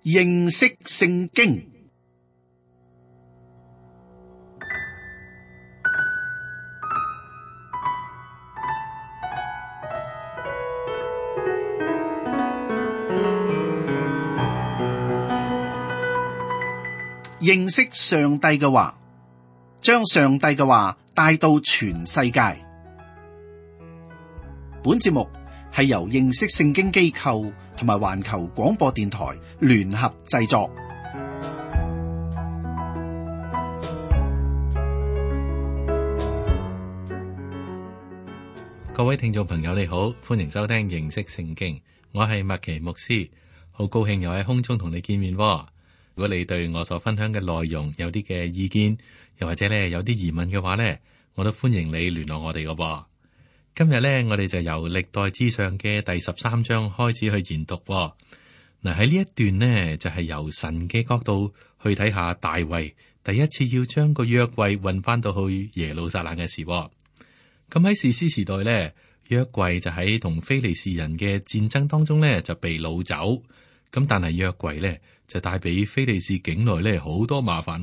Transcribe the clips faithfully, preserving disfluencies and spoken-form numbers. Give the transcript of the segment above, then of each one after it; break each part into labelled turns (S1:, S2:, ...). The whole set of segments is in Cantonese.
S1: 認識聖經。認識上帝嘅話，將上帝嘅話帶到全世界。本節目係由認識聖經機構同埋環球廣播電台聯合製作。
S2: 各位聽眾朋友你好，歡迎收聽認識聖經，我係麥奇牧師，好高興又喺空中同你見面。如果你對我所分享嘅內容有啲嘅意見，又或者咧有啲疑問嘅話咧，我都歡迎你聯絡我哋嘅噃。今日咧，我哋就由歷代志上嘅第十三章開始去研讀。嗱，喺呢一段呢，就係由神嘅角度去睇下大衛第一次要將個約櫃運翻到去耶路撒冷嘅事。咁喺士師時代咧，約櫃就喺同非利士人嘅戰爭當中咧就被擄走。咁但係約櫃咧就帶俾非利士境內咧好多麻煩。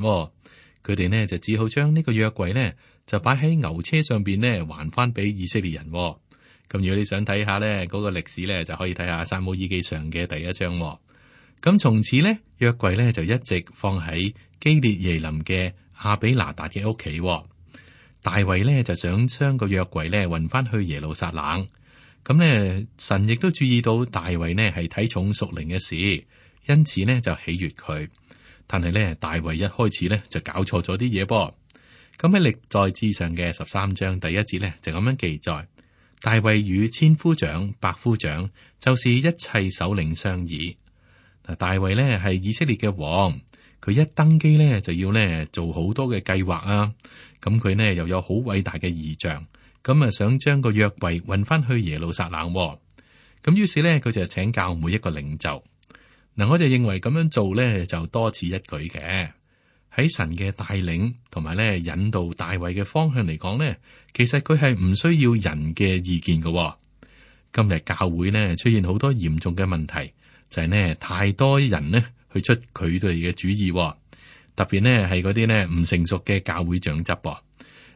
S2: 佢哋呢，就只好將呢個約櫃呢，就擺喺牛車上邊呢，還翻俾以色列人。咁如果你想睇下呢嗰個歷史呢，就可以睇下撒母耳記上嘅第一章。咁從此呢，約櫃呢，就一直放喺基列耶琳嘅亞比拿達嘅屋企。大衛呢，就想將個約櫃呢運翻去耶路撒冷。咁呢，神亦都注意到大衛呢係睇重屬靈嘅事，因此呢，就喜悅佢。但係咧，大衛一開始咧就搞錯咗啲嘢噃。咁喺歷代志上嘅十三章第一節咧就咁樣記載：大衛與千夫長、百夫長，就是一切首領商議。嗱，大衛咧係以色列嘅王，佢一登基咧就要咧做好多嘅計劃啊。咁佢呢又有好偉大嘅異象，咁啊想將個約櫃運翻去耶路撒冷。咁於是咧佢就請教每一個領袖。嗱，我就認為咁樣做咧就多此一舉嘅。喺神嘅帶領同埋咧引導大衛嘅方向嚟講咧，其實佢係唔需要人嘅意見嘅。今日教會呢出現好多嚴重嘅問題，就係呢太多人呢去出佢哋嘅主意，特別呢係嗰啲呢唔成熟嘅教會長執。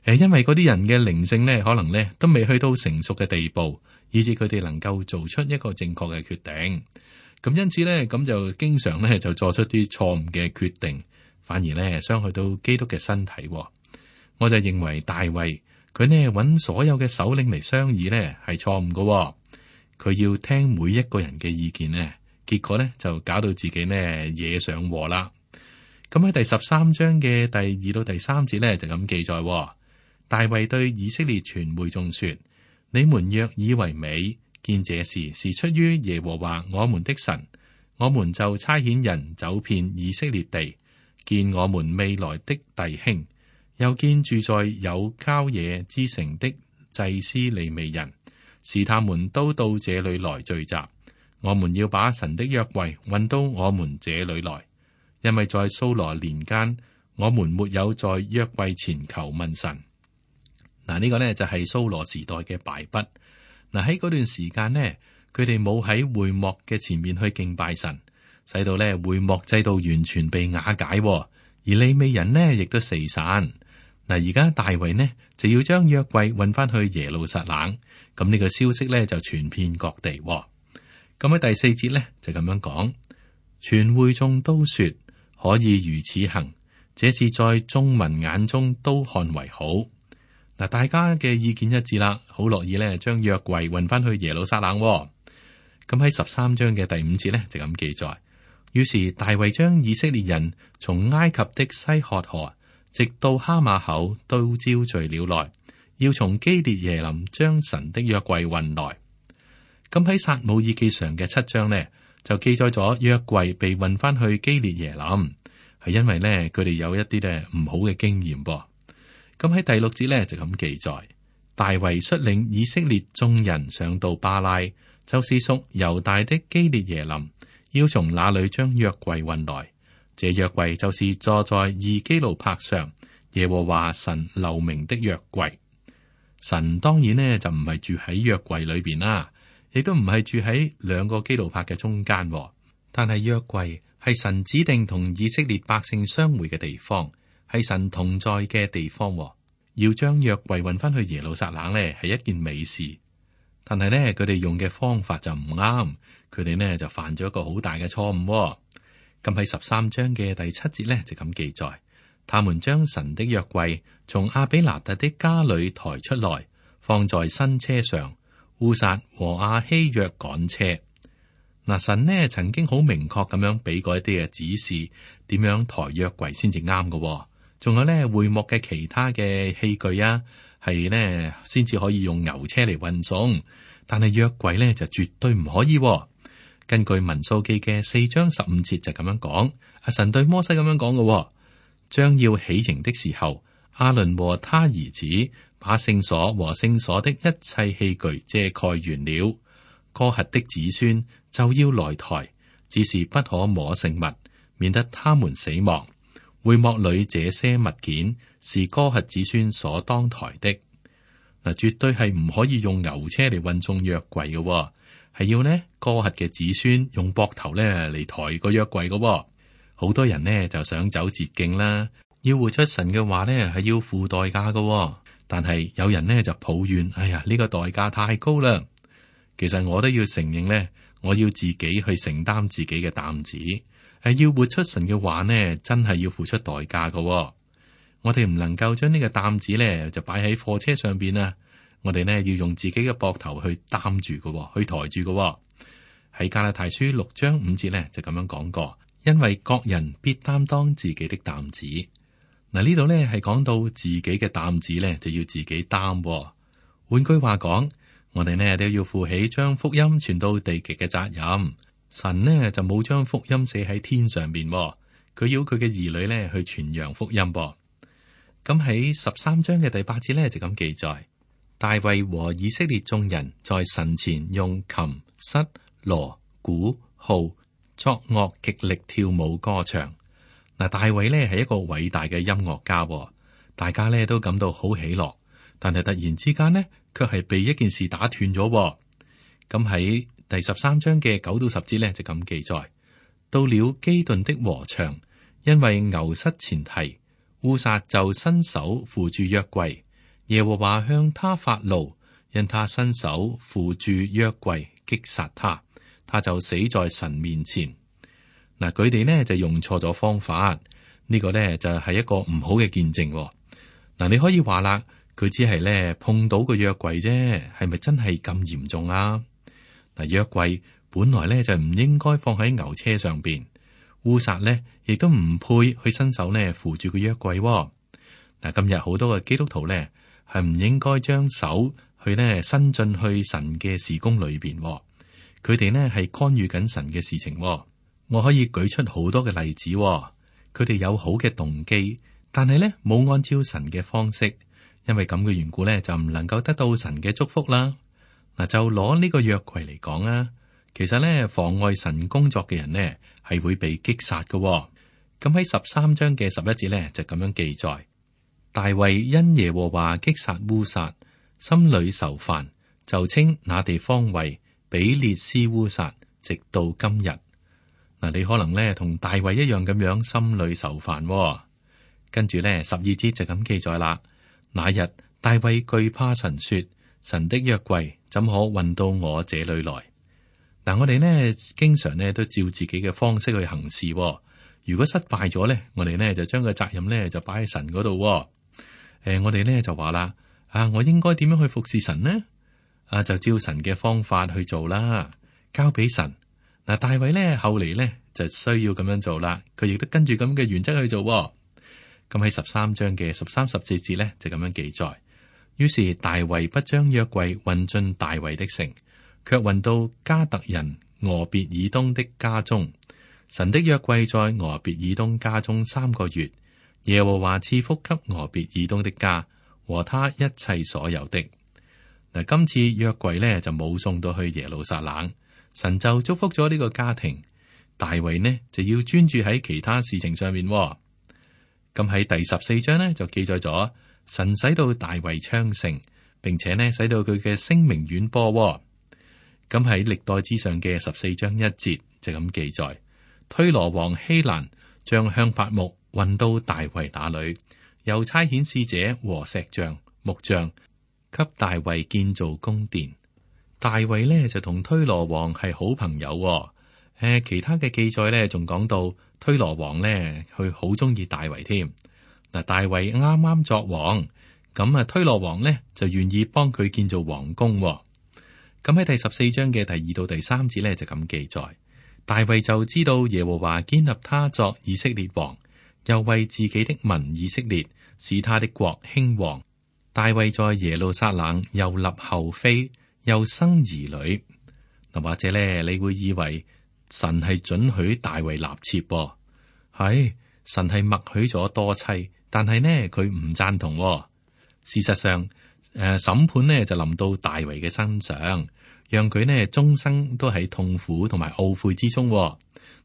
S2: 誒，因為嗰啲人嘅靈性呢可能呢都未去到成熟嘅地步，以致佢哋能夠做出一個正確嘅決定。咁因此咧，咁就經常咧就作出啲錯誤嘅決定，反而咧傷害到基督嘅身體。我就認為大衛佢呢揾所有嘅首領嚟商議咧係錯誤嘅。佢要聽每一個人嘅意見呢，結果咧就搞到自己呢惹上禍啦。咁喺第十三章嘅第二到第三節咧就咁記載：大衛對以色列全會眾說：你們若以為美，見這事是出於耶和華我們的神，我們就差遣人走遍以色列地，見我們未來的弟兄，又見住在有郊野之城的祭司利未人，使他們都到這裏來聚集。我們要把神的約櫃運到我們這裏來，因為在掃羅年間，我們沒有在約櫃前求問神。嗱，呢個呢就係掃羅時代嘅敗筆。嗱，喺嗰段時間呢，佢哋冇喺會幕嘅前面去敬拜神，使到咧會幕制度完全被瓦解，而利未人呢亦都四散。嗱，而家大衛呢就要將約櫃運翻去耶路撒冷，咁呢個消息咧就傳遍各地。咁喺第四節咧就咁樣講，全會眾都說可以如此行，這是在眾民眼中都看為好。嗱，大家嘅意見一致啦，好樂意咧將約櫃運翻去耶路撒冷。咁喺十三章嘅第五節咧就咁記載，於是大衛將以色列人從埃及的西曷河直到哈馬口都招聚了來，要從基列耶琳將神的約櫃運來。咁喺撒母耳記上嘅七章呢，就記載咗約櫃被運翻去基列耶琳，係因為呢，佢哋有一啲咧唔好嘅經驗噃。咁喺第六節咧就咁記載，大衛率領以色列眾人上到巴拉，就是屬猶大的基列耶琳，要從那裏將約櫃運來。這約櫃就是坐在二基路伯上，耶和華神留名的約櫃。神當然呢就唔係住喺約櫃裏邊啦，亦都唔係住喺兩個基路伯嘅中間，但係約櫃係神指定同以色列百姓相會嘅地方，係神同在嘅地方。要將約櫃運翻去耶路撒冷呢，係一件美事。但係呢，佢哋用嘅方法就唔啱，佢哋呢就犯咗一個好大嘅錯誤。咁喺十三章嘅第七節呢，就咁記載，他們將神的約櫃從亞比拿特的家裏抬出來，放在新車上，烏撒和亞希約趕車。嗱，神呢曾經好明確咁樣俾過一啲嘅指示，點樣抬約櫃先至啱嘅。仲有呢會幕嘅其他嘅器具啊，係呢先至可以用牛車嚟運送，但係約櫃呢就絕對唔可以。根據民數記嘅四章十五節就咁樣講，阿神對摩西咁樣講嘅，將要起營的時候，亞倫和他兒子把聖所和聖所的一切器具遮蓋完了，哥轄的子孫就要來抬，只是不可摸聖物，免得他們死亡。會幕裏這些物件是哥轄子孫所當抬的。嗱，絕對係唔可以用牛車嚟運送約櫃嘅，係要呢哥轄嘅子孫用膊頭咧嚟抬個約櫃嘅。好多人呢就想走捷徑啦，要活出神嘅話呢係要付代價嘅。但係有人呢就抱怨，哎呀，呢個代價太高啦。其實我都要承認呢，我要自己去承擔自己嘅擔子。係要活出神嘅話呢，真係要付出代價嘅。我哋唔能夠將呢個擔子咧就擺喺貨車上邊啊！我哋呢要用自己嘅膊頭去擔住嘅，去抬住嘅。喺加拉太書六章五節咧就咁樣講過，因為各人必擔當自己的擔子。嗱，呢度咧係講到自己嘅擔子咧就要自己擔。換句話講，我哋呢都要負起將福音傳到地極嘅責任。神呢就冇將福音寫喺天上邊，佢要佢嘅兒女呢去傳揚福音噃。咁喺十三章嘅第八節呢就咁記載，大衛和以色列眾人在神前用琴、瑟、鑼、鼓、號作樂，極力跳舞歌唱。嗱，大衛呢係一個偉大嘅音樂家，大家呢都感到好喜樂，但係突然之間呢，卻係被一件事打斷咗。咁喺第十三章嘅九到十節咧就咁記載，到了基頓的禾場，因為牛失前蹄，烏撒就伸手扶住約櫃，耶和華向他發怒，因他伸手扶住約櫃擊殺他，他就死在神面前。嗱，佢哋呢就用錯咗方法，呢、這個呢就係一個唔好嘅見證。嗱，你可以話啦，佢只係咧碰到個約櫃啫，係咪真係咁嚴重啊？嗱，約櫃本來咧就唔應該放喺牛車上邊，烏撒咧亦都唔配去伸手咧扶住個約櫃。嗱，今日好多嘅基督徒咧係唔應該將手去咧伸進去神嘅事工裏邊，佢哋呢係干預緊神嘅事情。我可以舉出好多嘅例子，佢哋有好嘅動機，但係咧冇按照神嘅方式，因為咁嘅緣故咧就唔能夠得到神嘅祝福啦。嗱，就攞呢個約櫃嚟講啊，其實咧妨礙神工作嘅人呢係會被擊殺嘅。咁喺十三章嘅十一節咧就咁樣記載，大衛因耶和華擊殺烏撒，心裏愁煩，就稱那地方為比列斯烏撒，直到今日。嗱，你可能咧同大衛一樣咁樣心裏愁煩。跟住咧十二節就咁記載啦，那日大衛懼怕神說，神的約櫃怎可運到我這裏來？嗱，我哋呢經常呢都照自己嘅方式去行事。如果失敗咗呢，我哋呢就將個責任呢就擺喺神嗰度。誒、呃，我哋呢就話啦，啊，我應該點樣去服侍神呢？啊，就照神嘅方法去做啦，交俾神。嗱，大衛呢後嚟呢就需要咁樣做啦，佢亦都跟住咁嘅原則去做。咁喺十三章嘅十三十四節呢就咁樣記載。於是大衛不將約櫃運進大衛的城，卻運到加特人俄別以東的家中。神的約櫃在俄別以東家中三個月，耶和華賜福給俄別以東的家和他一切所有的。嗱，今次約櫃呢就冇送到去耶路撒冷，神就祝福咗呢個家庭。大衛呢就要專注喺其他事情上面。咁喺第十四章呢就記載咗。神使到大衛昌盛，並且呢使到佢嘅聲名遠播。咁喺歷代志上嘅十四章一節就咁記載，推羅王希蘭將香柏木運到大衛那裏，又差遣使者和石匠、木匠，給大衛建造宮殿。大衛呢就同推羅王係好朋友、哦。誒、呃，其他嘅記載呢仲講到推羅王呢，佢好中意大衛添。嗱，大衛啱啱作王，咁啊推羅王呢就願意幫佢建造王宮、哦。咁喺第十四章嘅第二到第三節呢，就咁記載，大衛就知道耶和華建立他作以色列王，又為自己的民以色列使他的國興旺。大衛在耶路撒冷又立后妃，又生兒女。嗱，或者咧你會以為神係准許大衛立妾、哦，係神係默許咗多妻，但係呢佢唔贊同、哦。事實上，誒、呃、審判呢就臨到大衛嘅身上，讓佢呢終生都喺痛苦同埋懊悔之中、哦。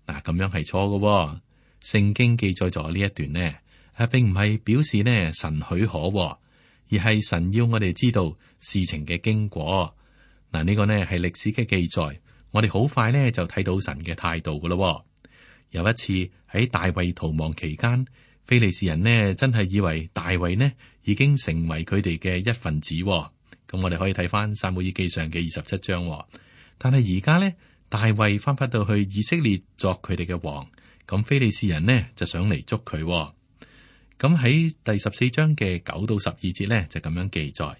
S2: 嗱，咁樣係錯嘅。聖經記載咗呢一段呢，誒並唔係表示呢神許可、哦，而係神要我哋知道事情嘅經過。嗱，呢個呢係歷史嘅記載，我哋好快呢就睇到神嘅態度噶咯。有一次喺大衛逃亡期間，非利士人呢真係以為大衛呢已經成為佢哋嘅一份子。咁我哋可以睇翻撒母耳記上嘅二十七章。但係而家呢，大衛翻返到去以色列作佢哋嘅王，咁非利士人呢就想嚟捉佢。咁喺第十四章嘅九到十二節呢，就咁樣記載：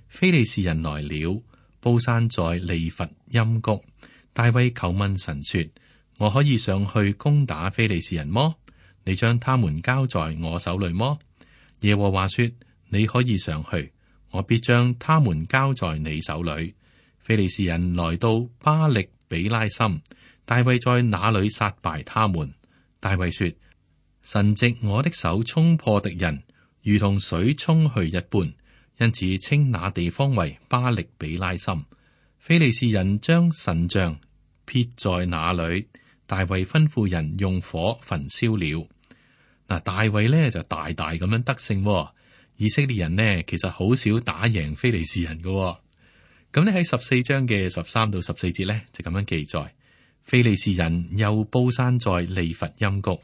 S2: 非利士人來了，布散在利乏音谷。大衛求問神說：我可以上去攻打非利士人麼？你將他們交在我手裏麼？耶和華說：你可以上去，我必將他們交在你手裏。非利士人來到巴力比拉森，大衛在那裏殺敗他們。大衛說：神藉我的手衝破敵人，如同水沖去一般，因此稱那地方為巴力比拉森。非利士人將神像撇在那裏，大衛吩咐人用火焚燒了。嗱，大衛呢就大大咁樣得勝、哦。以色列人呢其實好少打贏非利士人嘅、哦。咁呢喺十四章嘅十三到十四節呢就咁樣記載：非利士人又布散在利乏音谷。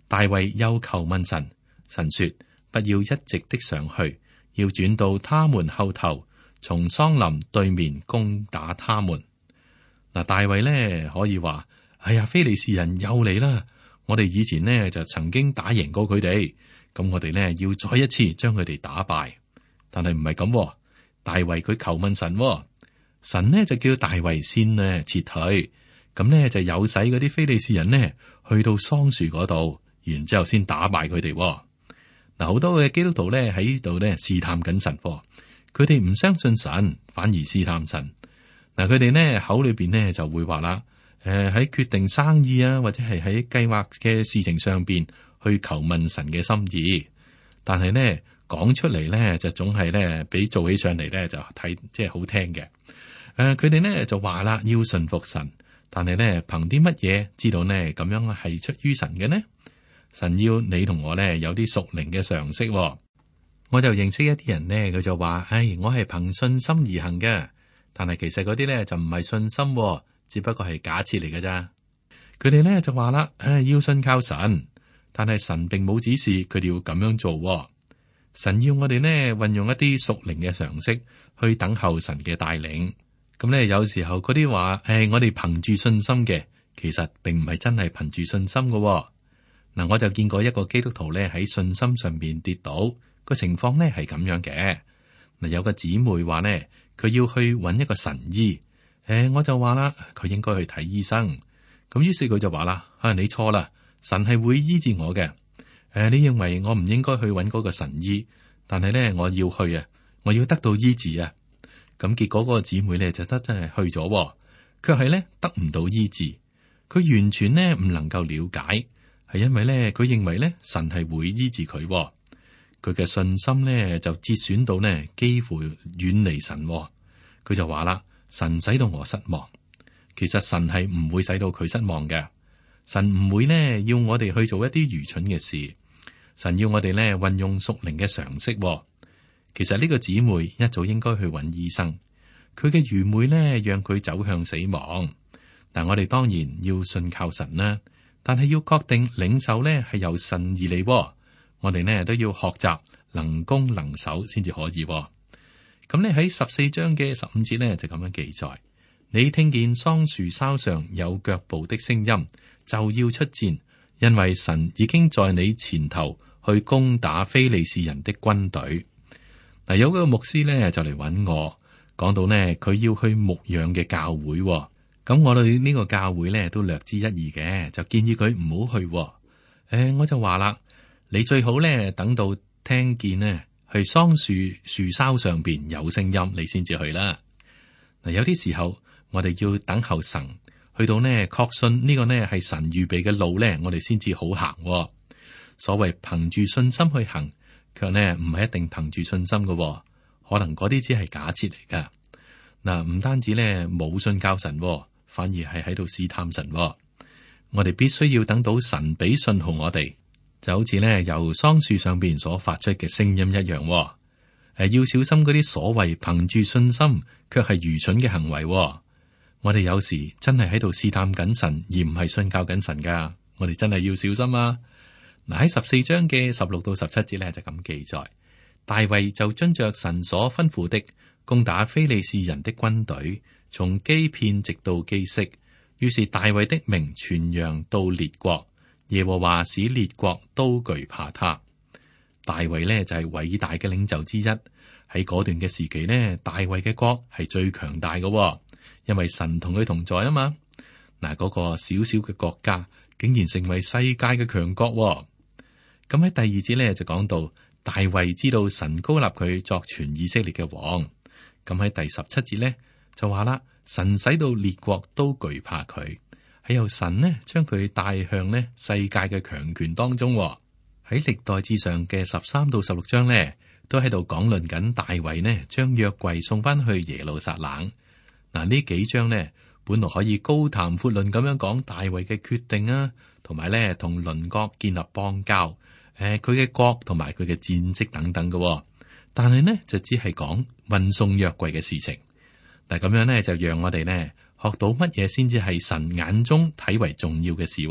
S2: 大衛又求問神，神說：不要一直的上去，要轉到他們後頭，從桑林對面攻打他們。嗱，大衛呢可以話：哎呀，非利士人又嚟啦！我哋以前呢就曾經打贏過佢哋，咁我哋呢要再一次將佢哋打敗。但係唔係咁，大衛佢求問神、哦，神呢就叫大衛先呢撤退，咁呢就有使嗰啲非利士人呢去到桑樹嗰度。然之後先打敗佢哋。嗱，好多嘅基督徒咧喺度咧試探緊神，佢哋唔相信神，反而試探神。嗱，佢哋呢口裏邊呢就會話啦，誒、呃、喺決定生意啊，或者係喺計劃嘅事情上邊去求問神嘅心意，但係呢講出嚟咧就總係咧比做起上嚟咧就睇即係好聽嘅。誒、呃，佢哋呢就話啦，要順服神，但係咧憑啲乜嘢知道呢咁樣係出於神嘅呢？神要你同我咧有啲屬靈嘅常識、哦，我就認識一啲人呢，佢就話：唉，我係憑信心而行嘅。但係其實嗰啲咧就唔係信心、哦，只不過係假設嚟嘅咋。佢哋咧就話啦：唉，要信靠神，但係神並冇指示佢哋要咁樣做、哦。神要我哋呢運用一啲屬靈嘅常識去等候神嘅帶領。咁咧有時候嗰啲話：唉，我哋憑住信心嘅，其實並唔係真係憑住信心嘅、哦。嗱，我就見過一個基督徒咧喺信心上邊跌倒，個情況咧係咁樣嘅。嗱，有個姊妹話咧，佢要去揾一個神醫，誒，我就話啦，佢應該去睇醫生。咁於是佢就話啦：啊，你錯啦，神係會醫治我嘅。誒，你認為我唔應該去揾嗰個神醫，但係咧我要去啊，我要得到醫治啊。咁結果嗰個姊妹咧就得真係去咗，卻係咧得唔到醫治，佢完全咧唔能夠了解。係因為咧，佢認為咧神係會醫治佢，佢嘅信心咧就折損到呢幾乎遠離神。佢就話啦：神使到我失望。其實神係唔會使到佢失望嘅。神唔會呢要我哋去做一啲愚蠢嘅事。神要我哋咧運用屬靈嘅常識。其實呢個姊妹一早應該去揾醫生，佢嘅愚昧咧讓佢走向死亡。但我哋當然要信靠神啦。但係要確定領受咧係由神而嚟，我哋呢都要學習能攻能守先至可以。咁咧喺十四章嘅十五節呢，就咁樣記載：你聽見桑樹梢上有腳步的聲音，就要出戰，因為神已經在你前頭去攻打非利士人的軍隊。嗱，有個牧師呢就嚟揾我，講到呢佢要去牧養嘅教會。咁我哋呢個教會咧都略知一二嘅，就建議佢唔好去。誒、呃，我就話啦，你最好咧等到聽見呢去桑樹樹梢上邊有聲音，你先至去啦。嗱，有啲時候我哋要等候神，去到呢確信呢個呢係神預備嘅路咧，我哋先至好行。所謂憑住信心去行，卻呢唔係一定憑住信心嘅，可能嗰啲只係假設嚟噶。嗱，唔單止咧冇信教神。反而係喺度試探神。我哋必須要等到神俾信號我哋，就好似咧由桑樹上邊所發出嘅聲音一樣。誒，要小心嗰啲所謂憑住信心卻係愚蠢嘅行為。我哋有時真係喺度試探緊神，而唔係信教緊神噶。我哋真係要小心啊！嗱，喺十四章嘅十六到十七節咧就咁記載：大衛就遵着神所吩咐的，攻打非利士人的軍隊，從基遍直到基色。於是大衛的名傳揚到列國，耶和華使列國都懼怕他。大衛呢就係偉大嘅領袖之一，喺嗰段嘅時期呢，大衛嘅國係最強大嘅，因為神同佢同在啊嘛。嗱，嗰個小小嘅國家竟然成為世界嘅強國。咁喺第二節呢，就講到大衛知道神膏立佢作全以色列嘅王。咁喺第十七節呢，就話啦，神使到列國都懼怕佢，係由神呢將佢帶向呢世界嘅強權當中。喺歷代志上嘅十三到十六章呢，都喺度講論緊大衛呢將約櫃送翻去耶路撒冷。嗱，呢幾章呢本來可以高談闊論咁樣講大衛嘅決定啊，同埋呢同鄰國建立邦交，誒佢嘅國同埋佢嘅戰績等等嘅，但係呢就只係講運送約櫃嘅事情。嗱，咁樣呢就讓我哋呢學到乜嘢先至係神眼中睇為重要嘅事。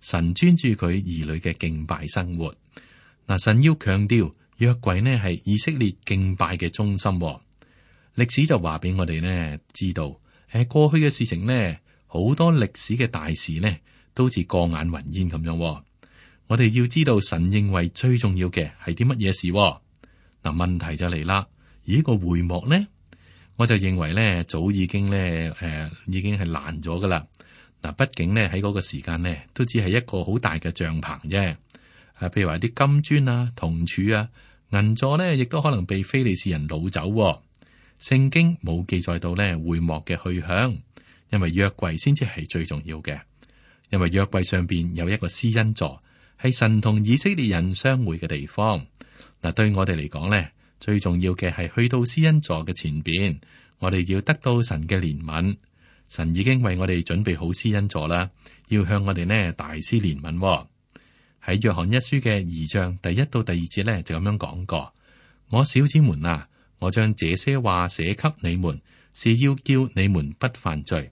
S2: 神專注佢兒女嘅敬拜生活。嗱，神要強調約櫃呢係以色列敬拜嘅中心。歷史就話俾我哋呢知道，誒過去嘅事情呢，好多歷史嘅大事呢都似過眼雲煙咁樣。我哋要知道神認為最重要嘅係啲乜嘢事。嗱，問題就嚟啦，而呢個會幕呢，我就認為咧，早已經咧，誒、呃，已經係爛咗噶啦。嗱，畢竟咧喺嗰個時間咧，都只係一個好大嘅帳篷啫。誒，譬如話啲金磚啊、銅柱啊、銀座咧，亦都可能被非利士人擄走。聖經冇記載到咧會幕嘅去向，因為約櫃先至係最重要嘅。因為約櫃上邊有一個施恩座，係神同以色列人相會嘅地方。嗱，對我哋嚟講咧，最重要嘅係去到施恩座嘅前邊，我哋要得到神嘅憐憫。神已經為我哋準備好施恩座啦，要向我哋呢大施憐憫。喺約翰一書嘅二章第一到第二節咧就咁樣講過：我小子們啊，我將這些話寫給你們，是要叫你們不犯罪。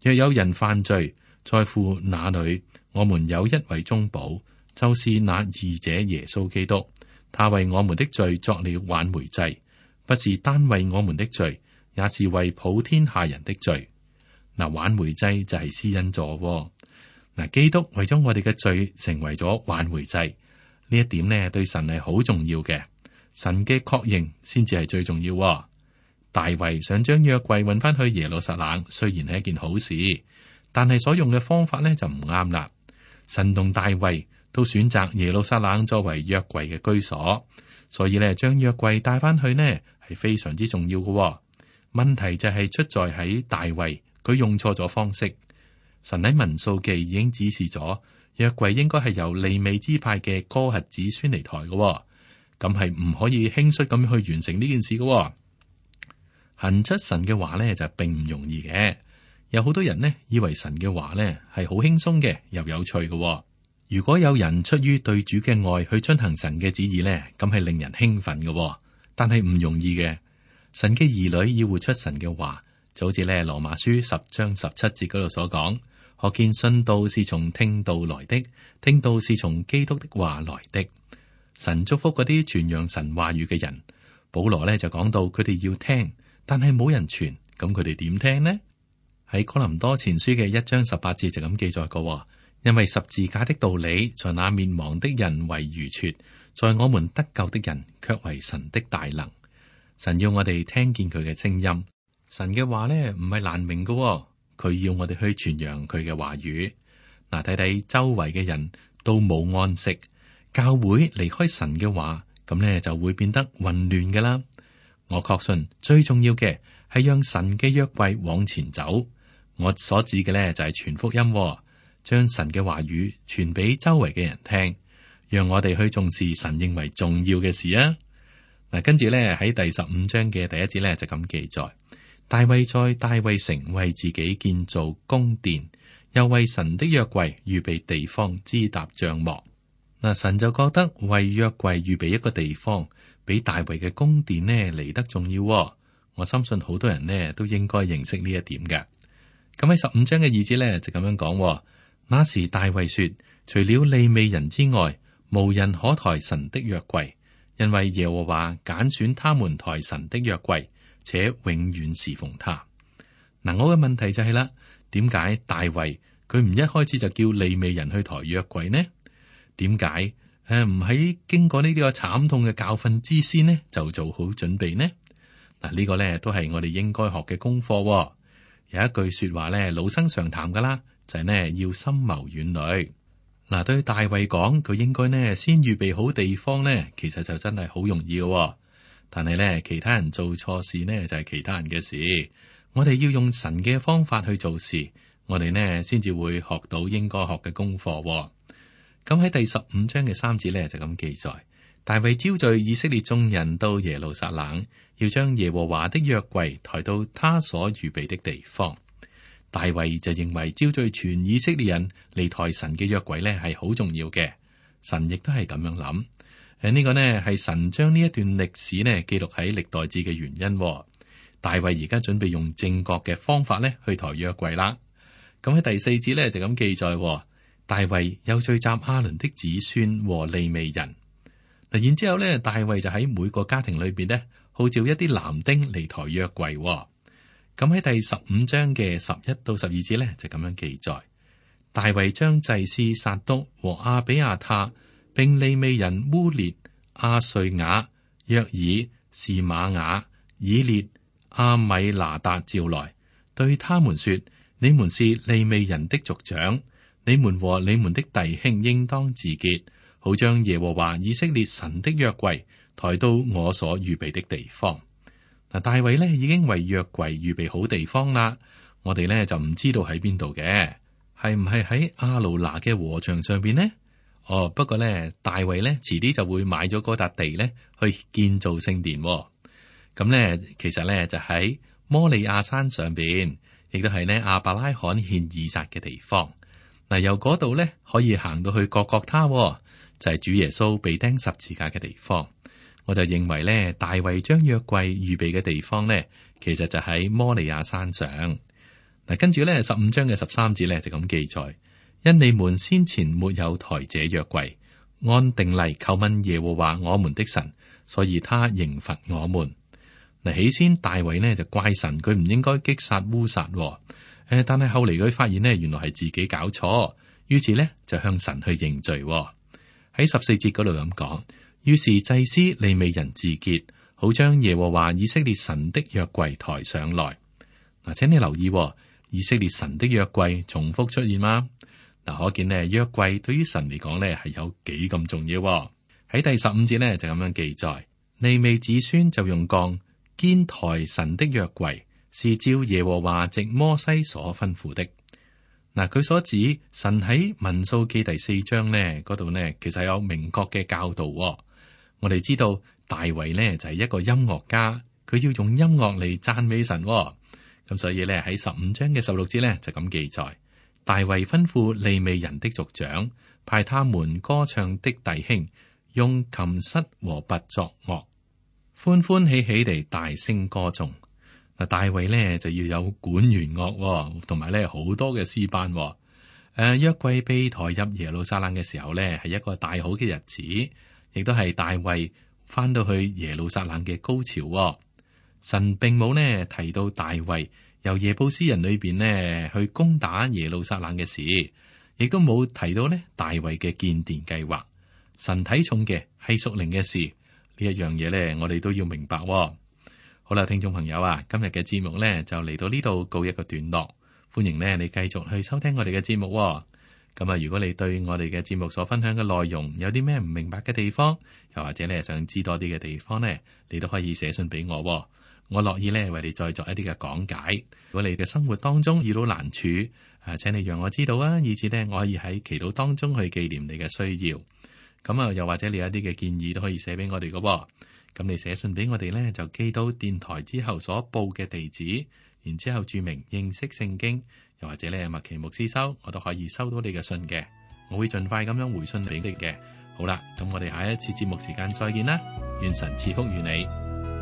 S2: 若有人犯罪，在乎那裏，我們有一位中保，就是那義者耶穌基督。他為我們的罪作了挽回祭，不是單為我們的罪，也是為普天下人的罪。嗱，挽回祭就係施恩座。嗱，基督為咗我哋嘅罪成為咗挽回祭，呢一點呢對神係好重要嘅。神嘅確認先至係最重要。大衛想將約櫃運翻去耶路撒冷，雖然係一件好事，但係所用嘅方法呢就唔啱啦。神同大衛都選擇耶路撒冷作為約櫃嘅居所，所以咧將約櫃帶翻去呢係非常之重要嘅。問題就係出在喺大衛，佢用錯咗方式。神喺民數記已經指示咗約櫃應該係由利未支派嘅哥轄子孫嚟抬嘅，咁係唔可以輕率咁去完成呢件事嘅。行出神嘅話呢就並唔容易嘅，有好多人呢以為神嘅話呢係好輕鬆嘅，又有趣嘅。如果有人出於對主嘅愛去遵行神嘅旨意呢，咁係令人興奮嘅，但係唔容易嘅。神嘅兒女要活出神嘅話，就好似咧羅馬書十章十七節嗰度所講，可見信道是從聽道來的，聽道是從基督的話來的。神祝福嗰啲傳揚神話語嘅人。保羅咧就講到佢哋要聽，但係冇人傳，咁佢哋點聽呢？喺哥林多前書嘅一章十八節就咁記載過，因為十字架的道理在那滅亡的人為愚拙，在我們得救的人卻為神的大能。神要我哋聽見佢嘅聲音，神嘅話咧唔係難明嘅，佢要我哋去傳揚佢嘅話語。嗱，睇睇周圍嘅人都冇安息，教會離開神嘅話，咁咧就會變得混亂㗎啦。我確信最重要嘅係讓神嘅約櫃往前走。我所指嘅咧就係傳福音，將神嘅話語傳俾周圍嘅人聽，讓我哋去重視神認為重要嘅事啊。嗱，跟住咧喺第十五章嘅第一節咧就咁記載：大衛在大衛城為自己建造宮殿，又為神的約櫃預備地方支搭帳幕。嗱，神就覺得為約櫃預備一個地方，比大衛嘅宮殿呢嚟得重要。我相信好多人呢都應該認識呢一點嘅。咁喺十五章嘅二節咧就咁樣講：那時大衛說，除了利未人之外，無人可抬神的約櫃，因為耶和華揀選他們抬神的約櫃，且永遠侍奉他。嗱，我嘅問題就係啦，點解大衛佢唔一開始就叫利未人去抬約櫃呢？點解誒唔喺經過呢啲個慘痛嘅教訓之先呢就做好準備呢？嗱，呢個咧都係我哋應該學嘅功課。有一句說話咧，老生常談噶啦，就係呢：要深謀遠慮。嗱，對大衛講，佢應該呢先預備好地方呢，其實就真係好容易嘅。但係咧，其他人做錯事呢，就係其他人嘅事。我哋要用神嘅方法去做事，我哋呢先至會學到應該學嘅功課。咁喺第十五章嘅三節咧就咁記載：大衛招聚以色列眾人到耶路撒冷，要將耶和華的約櫃抬到他所預備的地方。大衛就認為招聚全以色列人嚟抬神嘅約櫃咧係好重要嘅。神亦都係咁樣諗。誒，呢個呢係神將呢一段歷史呢記錄喺歷代志嘅原因。大衛而家準備用正確嘅方法咧去抬約櫃啦。咁喺第四節咧就咁記載：大衛又聚集亞倫的子孫和利未人。嗱，然之後咧，大衛就喺每個家庭裏邊咧號召一啲男丁嚟抬約櫃。咁喺第十五章嘅十一到十二節咧就咁樣記載：大衛將祭司撒督和亞比亞他，並利未人烏列、亞瑞雅、約爾、示瑪雅、以列、亞米拿達召來，對他們說：你們是利未人的族長，你們和你們的弟兄應當自潔，好將耶和華以色列神的約櫃抬到我所預備的地方。嗱，大衛咧已經為約櫃預備好地方啦，我哋咧就唔知道喺邊度嘅，係唔係喺亞魯拿嘅禾場上邊呢？哦，不過咧，大衛咧遲啲就會買咗嗰笪地咧去建造聖殿。咁咧，其實咧就喺摩利亞山上邊，亦都係呢亞伯拉罕獻以撒嘅地方。嗱，由嗰度咧可以行到去各各他，就係主耶穌被釘十字架嘅地方。我就認為咧，大衛將約櫃預備嘅地方咧，其實就喺摩利亞山上。嗱，跟住咧十五章嘅十三節咧就咁記載：因你們先前沒有抬這約櫃，按定例求問耶和華我們的神，所以他刑罰我們。嗱，起先大衛呢就怪神，佢唔應該擊殺烏撒。誒，但係後嚟佢發現呢，原來係自己搞錯，於是呢就向神去認罪。喺十四節嗰度咁講。於是祭司利未人自潔，好將耶和華以色列神的約櫃抬上來。嗱，請你留意，以色列神的約櫃重複出現嗎？嗱，可見呢約櫃對於神嚟講呢係有幾咁重要。喺第十五節呢就咁樣記載：利未子孫就用槓肩抬神的約櫃，是照耶和華藉摩西所吩咐的。嗱，佢所指神喺民數記第四章呢嗰度呢，其實有明確嘅教導。我哋知道大衛呢就係一個音樂家，佢要用音樂嚟讚美神。咁所以呢，喺十五章嘅十六節呢，就咁記載：大衛吩咐利未人的族長，派他們歌唱的弟兄用琴瑟和拔作樂，歡歡喜喜地大聲歌頌。嗱，大衛呢就要有管弦樂，同埋呢好多嘅詩班。誒，約櫃被抬入耶路撒冷嘅時候呢，係一個大好嘅日子，亦都係大衛翻到去耶路撒冷嘅高潮喎。神並冇呢提到大衛由耶布斯人裏邊呢去攻打耶路撒冷嘅事，亦都冇提到呢大衛嘅建殿計劃。神睇重嘅係屬靈嘅事，呢一樣嘢呢，我哋都要明白喎。好啦，聽眾朋友啊，今日嘅節目呢就嚟到呢度告一個段落。歡迎呢你繼續去收聽我哋嘅節目喎。咁啊，如果你對我哋嘅節目所分享嘅內容有啲咩唔明白嘅地方，又或者你係想知多啲嘅地方呢，你都可以寫信俾我喎。我樂意呢為你再作一啲嘅講解。如果你嘅生活當中遇到難處，啊，請你讓我知道啊，以至呢我可以喺祈禱當中去紀念你嘅需要。咁啊，又或者你有一啲嘅建議都可以寫俾我哋嘅喎。咁你寫信俾我哋呢，就寄到電台之後所報嘅地址，然之後注明認識聖經，又或者呢麥奇牧師收，我都可以收到你嘅信嘅。我會盡快咁樣回信俾你嘅。好啦，咁我哋下一次節目時間再見啦，願神賜福於你。